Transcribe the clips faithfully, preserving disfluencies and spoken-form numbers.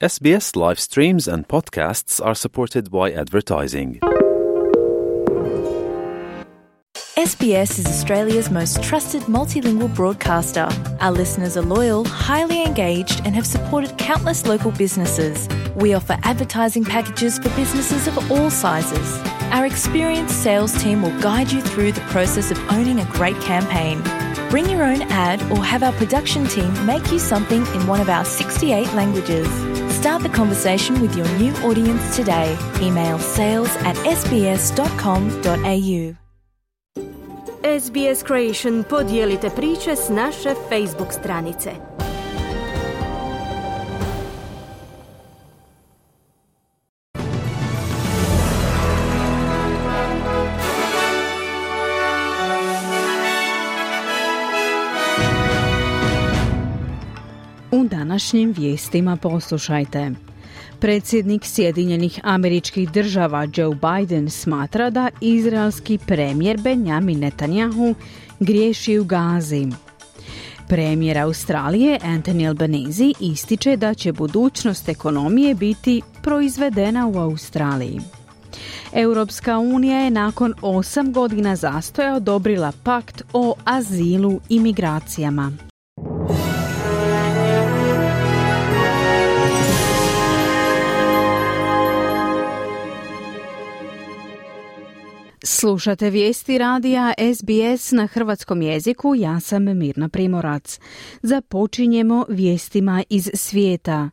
S B S live streams and podcasts are supported by advertising. S B S is Australia's most trusted multilingual broadcaster. Our listeners are loyal, highly engaged, and have supported countless local businesses. We offer advertising packages for businesses of all sizes. Our experienced sales team will guide you through the process of owning a great campaign. Bring your own ad or have our production team make you something in one of our sixty-eight languages. Start the conversation with your new audience today. Email sales at s b s dot com dot a u. S B S Creation podijelite priče s naše Facebook stranice. U današnjim vijestima poslušajte. Predsjednik Sjedinjenih Američkih Država Joe Biden smatra da izraelski premijer Benjamin Netanyahu griješi u Gazi. Premijer Australije Anthony Albanese ističe da će budućnost ekonomije biti proizvedena u Australiji. Europska unija je nakon osam godina zastoja odobrila pakt o azilu i migracijama. Slušate vijesti radija S B S na hrvatskom jeziku, ja sam Mirna Primorac. Započinjemo vijestima iz svijeta.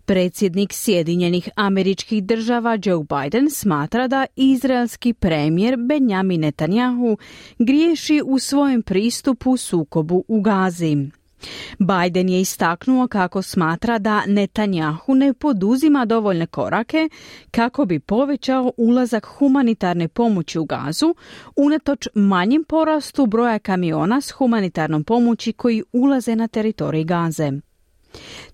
Predsjednik Sjedinjenih Američkih Država Joe Biden smatra da izraelski premijer Benjamin Netanyahu griješi u svojem pristupu sukobu u Gazi. Biden je istaknuo kako smatra da Netanyahu ne poduzima dovoljne korake kako bi povećao ulazak humanitarne pomoći u Gazu, unatoč manjim porastu broja kamiona s humanitarnom pomoći koji ulaze na teritorij Gaze.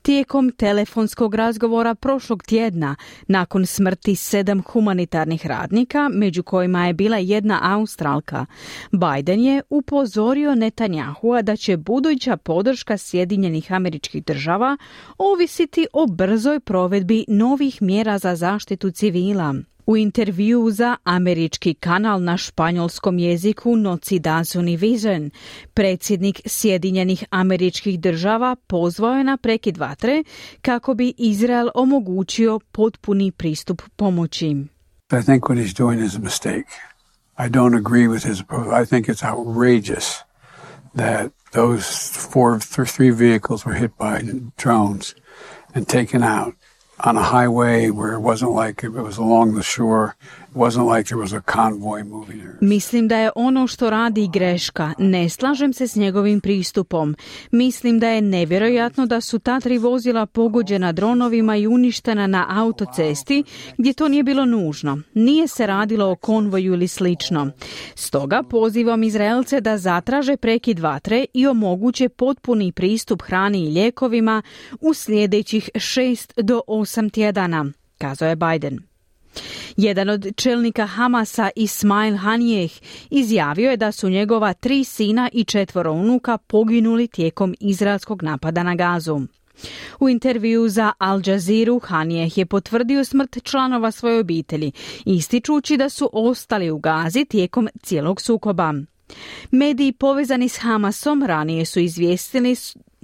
Tijekom telefonskog razgovora prošlog tjedna, nakon smrti sedam humanitarnih radnika, među kojima je bila jedna Australka, Biden je upozorio Netanyahua da će buduća podrška Sjedinjenih Američkih Država ovisiti o brzoj provedbi novih mjera za zaštitu civila. U intervjuu za američki kanal na španjolskom jeziku Noticias Univision, predsjednik Sjedinjenih Američkih Država pozvao je na prekid vatre kako bi Izrael omogućio potpuni pristup pomoći. I think what he's doing is a mistake. I don't agree with his approach. I think it's outrageous that those four, three vehicles were hit by drones and taken out on a highway where it wasn't like it was along the shore. It wasn't like there was a convoy moving there. Mislim da je ono što radi greška. Ne slažem se s njegovim pristupom. Mislim da je nevjerojatno da su ta tri vozila pogođena dronovima i uništena na autocesti gdje to nije bilo nužno. Nije se radilo o konvoju ili slično. Stoga pozivam Izraelce da zatraže prekid vatre i omoguće potpuni pristup hrani i lijekovima u sljedećih šest do osam tjedana, kazao je Biden. Jedan od čelnika Hamasa, Ismail Haniyeh, izjavio je da su njegova tri sina i četvoro unuka poginuli tijekom izraelskog napada na Gazu. U intervjuu za Al Jazeera Haniyeh je potvrdio smrt članova svoje obitelji, ističući da su ostali u Gazi tijekom cijelog sukoba. Mediji povezani s Hamasom ranije su izvijestili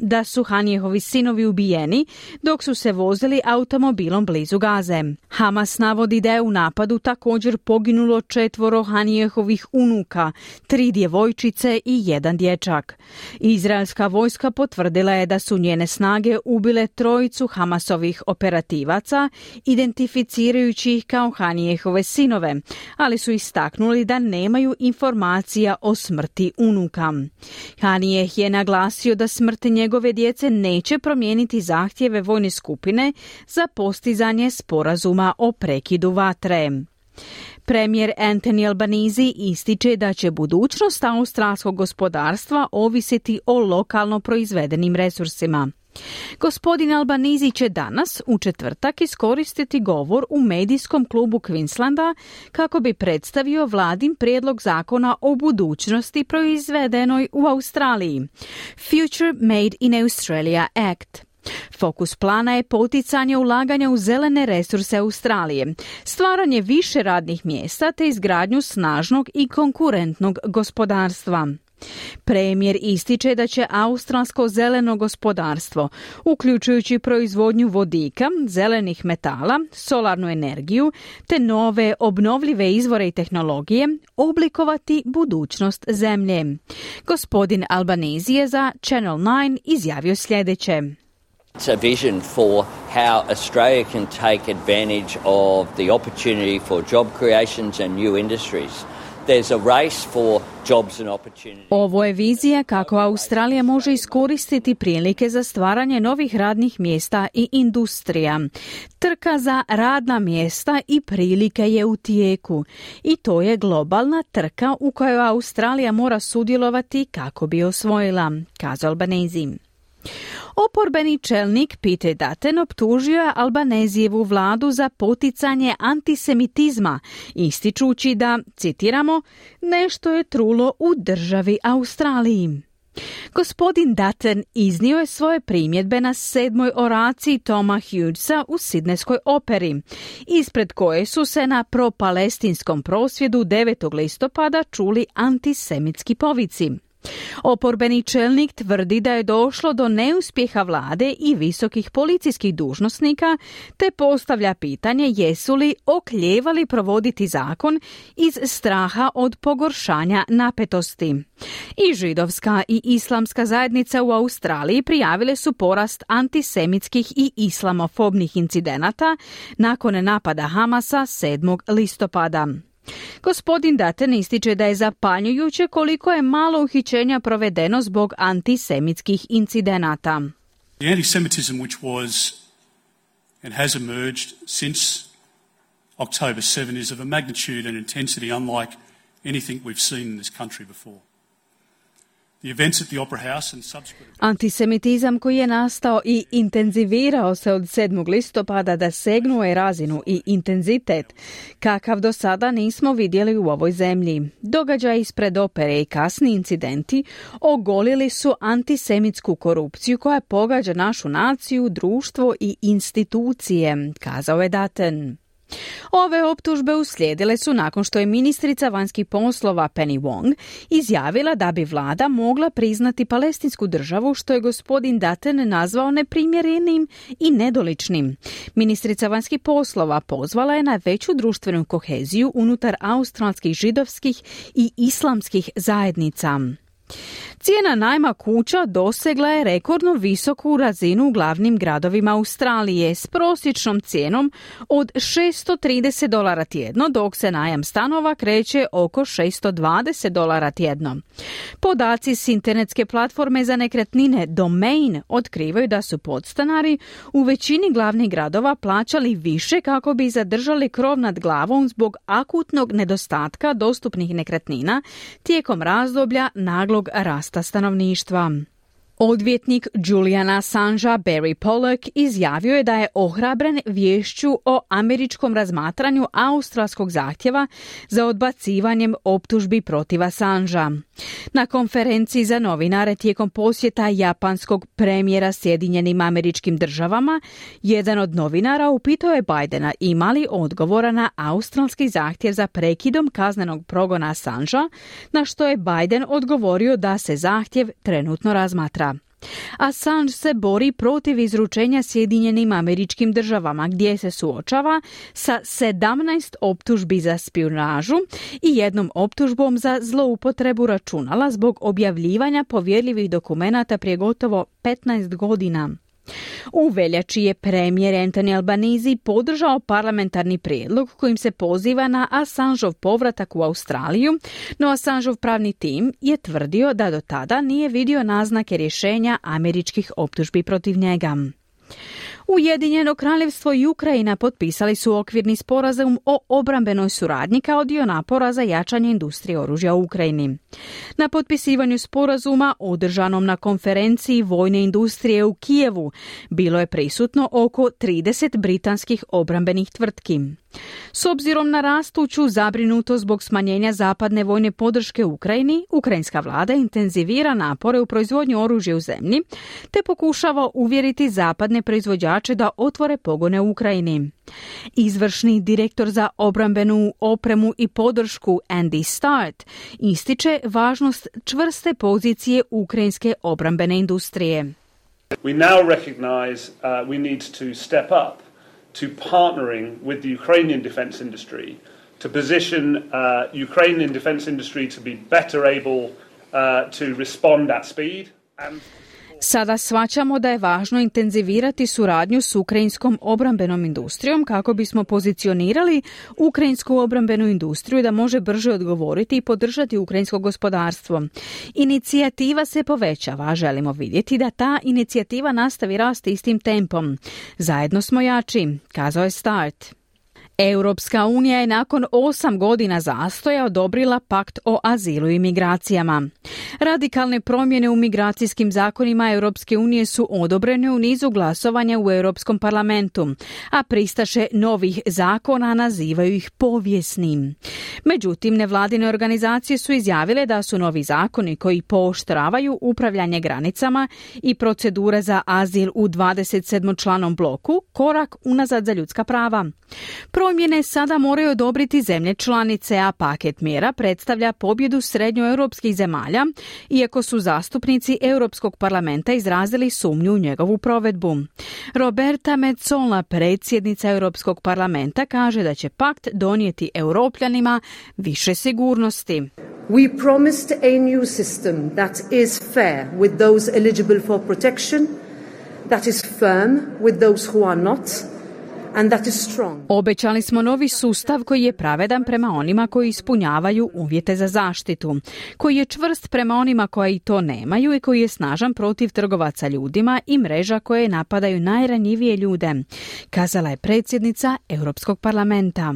da su Hanijehovi sinovi ubijeni dok su se vozili automobilom blizu Gaze. Hamas navodi da je u napadu također poginulo četvoro Hanijehovih unuka, tri djevojčice i jedan dječak. Izraelska vojska potvrdila je da su njene snage ubile trojicu Hamasovih operativaca, identificirajući ih kao Hanijehove sinove, ali su istaknuli da nemaju informacija o smrti unuka. Hanijeh je naglasio da smrt njegove djece neće promijeniti zahtjeve vojne skupine za postizanje sporazuma o prekidu vatre. Premijer Anthony Albanese ističe da će budućnost australskog gospodarstva ovisiti o lokalno proizvedenim resursima. Gospodin Albanese će danas u četvrtak iskoristiti govor u medijskom klubu Queenslanda kako bi predstavio vladin prijedlog zakona o budućnosti proizvedenoj u Australiji, Future Made in Australia Act. Fokus plana je poticanje ulaganja u zelene resurse Australije, stvaranje više radnih mjesta te izgradnju snažnog i konkurentnog gospodarstva. Premijer ističe da će australsko zeleno gospodarstvo, uključujući proizvodnju vodika, zelenih metala, solarnu energiju te nove obnovljive izvore i tehnologije, oblikovati budućnost zemlje. Gospodin Albanese je za Channel nine izjavio sljedeće. It's a vision for how Australia can take advantage of the opportunity for job creations and new industries. There's a race for jobs and opportunities. Ovo je vizija kako Australija može iskoristiti prilike za stvaranje novih radnih mjesta i industrija. Trka za radna mjesta i prilike je u tijeku. I to je globalna trka u kojoj Australija mora sudjelovati kako bi osvojila, kazao Albanese. Oporbeni čelnik Peter Dutton optužio je Albanezijevu vladu za poticanje antisemitizma, ističući da, citiramo, nešto je trulo u državi Australiji. Gospodin Dutton iznio je svoje primjedbe na sedmoj oraciji Toma Hughesa u Sidnejskoj operi, ispred koje su se na propalestinskom prosvjedu devetog listopada čuli antisemitski povici. Oporbeni čelnik tvrdi da je došlo do neuspjeha vlade i visokih policijskih dužnosnika, te postavlja pitanje jesu li oklijevali provoditi zakon iz straha od pogoršanja napetosti. I židovska i islamska zajednica u Australiji prijavile su porast antisemitskih i islamofobnih incidenata nakon napada Hamasa sedmog listopada. Gospodin Dutton ističe da je zapanjujuće koliko je malo uhićenja provedeno zbog antisemitskih incidenata. The anti-Semitism which was and has emerged since October seventh is of a magnitude and intensity unlike anything we've seen in this country before. The events at the Opera House and subsequent... Antisemitizam koji je nastao i intenzivirao se od sedmog listopada dosegnuo je razinu i intenzitet kakav do sada nismo vidjeli u ovoj zemlji. Događaj ispred opere i kasni incidenti ogolili su antisemitsku korupciju koja pogađa našu naciju, društvo i institucije, kazao je Dutton. Ove optužbe uslijedile su nakon što je ministrica vanjskih poslova Penny Wong izjavila da bi vlada mogla priznati palestinsku državu, što je gospodin Dutton nazvao neprimjerenim i nedoličnim. Ministrica vanjskih poslova pozvala je na veću društvenu koheziju unutar australskih židovskih i islamskih zajednica. Cijena najma kuća dosegla je rekordno visoku razinu u glavnim gradovima Australije s prosječnom cijenom od šesto trideset dolara tjedno, dok se najam stanova kreće oko šesto dvadeset dolara tjedno. Podaci s internetske platforme za nekretnine Domain otkrivaju da su podstanari u većini glavnih gradova plaćali više kako bi zadržali krov nad glavom zbog akutnog nedostatka dostupnih nekretnina tijekom razdoblja naglog rasta stanovništva. Odvjetnik Juliana Assangea Barry Pollock izjavio je da je ohrabren viješću o američkom razmatranju australskog zahtjeva za odbacivanjem optužbi protiv Assangea. Na konferenciji za novinare tijekom posjeta japanskog premijera Sjedinjenim Američkim Državama, jedan od novinara upitao je Bidena ima li odgovora na australski zahtjev za prekidom kaznenog progona Assangea, na što je Biden odgovorio da se zahtjev trenutno razmatra. Assange se bori protiv izručenja Sjedinjenim Američkim Državama gdje se suočava sa sedamnaest optužbi za špijunažu i jednom optužbom za zloupotrebu računala zbog objavljivanja povjerljivih dokumenata prije gotovo petnaest godina. U veljači je premijer Anthony Albanese podržao parlamentarni prijedlog kojim se poziva na Assangeov povratak u Australiju, no Assangeov pravni tim je tvrdio da do tada nije vidio naznake rješenja američkih optužbi protiv njega. Ujedinjeno kraljevstvo i Ukrajina potpisali su okvirni sporazum o obrambenoj suradnji kao dio napora za jačanje industrije oružja u Ukrajini. Na potpisivanju sporazuma, održanom na konferenciji vojne industrije u Kijevu, bilo je prisutno oko trideset britanskih obrambenih tvrtki. S obzirom na rastuću zabrinutost zbog smanjenja zapadne vojne podrške Ukrajini, ukrajinska vlada intenzivira napore u proizvodnji oružja u zemlji, te pokušava uvjeriti zapadne proizvođače da otvore pogone u Ukrajini. Izvršni direktor za obrambenu opremu i podršku Andy Start ističe važnost čvrste pozicije ukrajinske obrambene industrije. We now recognize uh, we need to step up to partnering with the Ukrainian defense industry to position uh, Ukrainian defense industry to be better able uh, to respond at speed. And Sada shvaćamo da je važno intenzivirati suradnju s ukrajinskom obrambenom industrijom kako bismo pozicionirali ukrajinsku obrambenu industriju da može brže odgovoriti i podržati ukrajinsko gospodarstvo. Inicijativa se povećava, želimo vidjeti da ta inicijativa nastavi rasti istim tempom. Zajedno smo jači, kazao je Start. Europska unija je nakon osam godina zastoja odobrila pakt o azilu i migracijama. Radikalne promjene u migracijskim zakonima Europske unije su odobrene u nizu glasovanja u Europskom parlamentu, a pristaše novih zakona nazivaju ih povijesnim. Međutim, nevladine organizacije su izjavile da su novi zakoni koji pooštravaju upravljanje granicama i procedure za azil u dvadeset sedmočlanom bloku korak unazad za ljudska prava. Promjene sada moraju odobriti zemlje članice, a paket mjera predstavlja pobjedu srednjoeuropskih zemalja, iako su zastupnici Europskog parlamenta izrazili sumnju u njegovu provedbu. Roberta Metsola, predsjednica Europskog parlamenta, kaže da će pakt donijeti Europljanima više sigurnosti. We promised a new system that is fair with those eligible for protection, that is firm with those who are not, and that is strong. Obećali smo novi sustav koji je pravedan prema onima koji ispunjavaju uvjete za zaštitu, koji je čvrst prema onima koji to nemaju i koji je snažan protiv trgovaca ljudima i mreža koje napadaju najranjivije ljude, kazala je predsjednica Europskog parlamenta.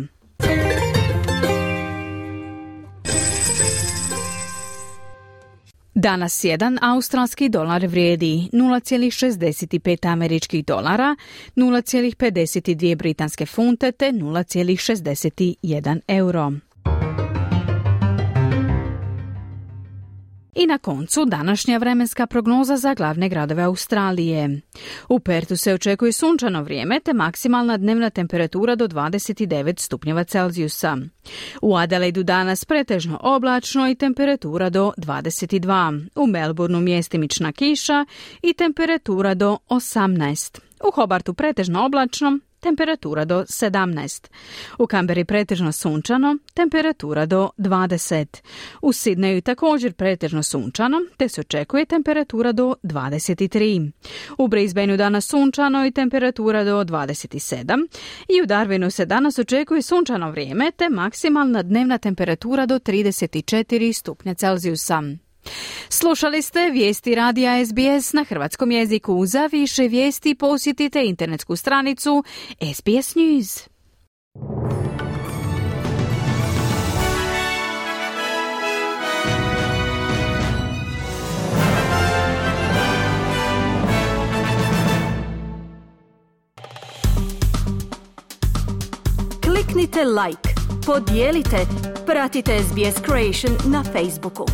Danas jedan australski dolar vrijedi nula zarez šezdeset pet američkih dolara, nula zarez pedeset dvije britanske funte te nula zarez šezdeset jedan euro. I na koncu današnja vremenska prognoza za glavne gradove Australije. U Perthu se očekuje sunčano vrijeme te maksimalna dnevna temperatura do dvadeset devet stupnjeva Celzijusa. U Adelaidu danas pretežno oblačno i temperatura do dvadeset dva. U Melbourneu mjestimična kiša i temperatura do osamnaest. U Hobartu pretežno oblačno, temperatura do sedamnaest. U Kamberi pretežno sunčano, temperatura do dvadeset. U Sidneju također pretežno sunčano, te se očekuje temperatura do dvadeset tri. U Brisbaneu danas sunčano i temperatura do dvadeset sedam. I u Darwinu se danas očekuje sunčano vrijeme, te maksimalna dnevna temperatura do trideset četiri stupnja Celzijusa. Slušali ste vijesti radija S B S na hrvatskom jeziku. Za više vijesti posjetite internetsku stranicu S B S News. Kliknite like, podijelite, pratite S B S Creation na Facebooku.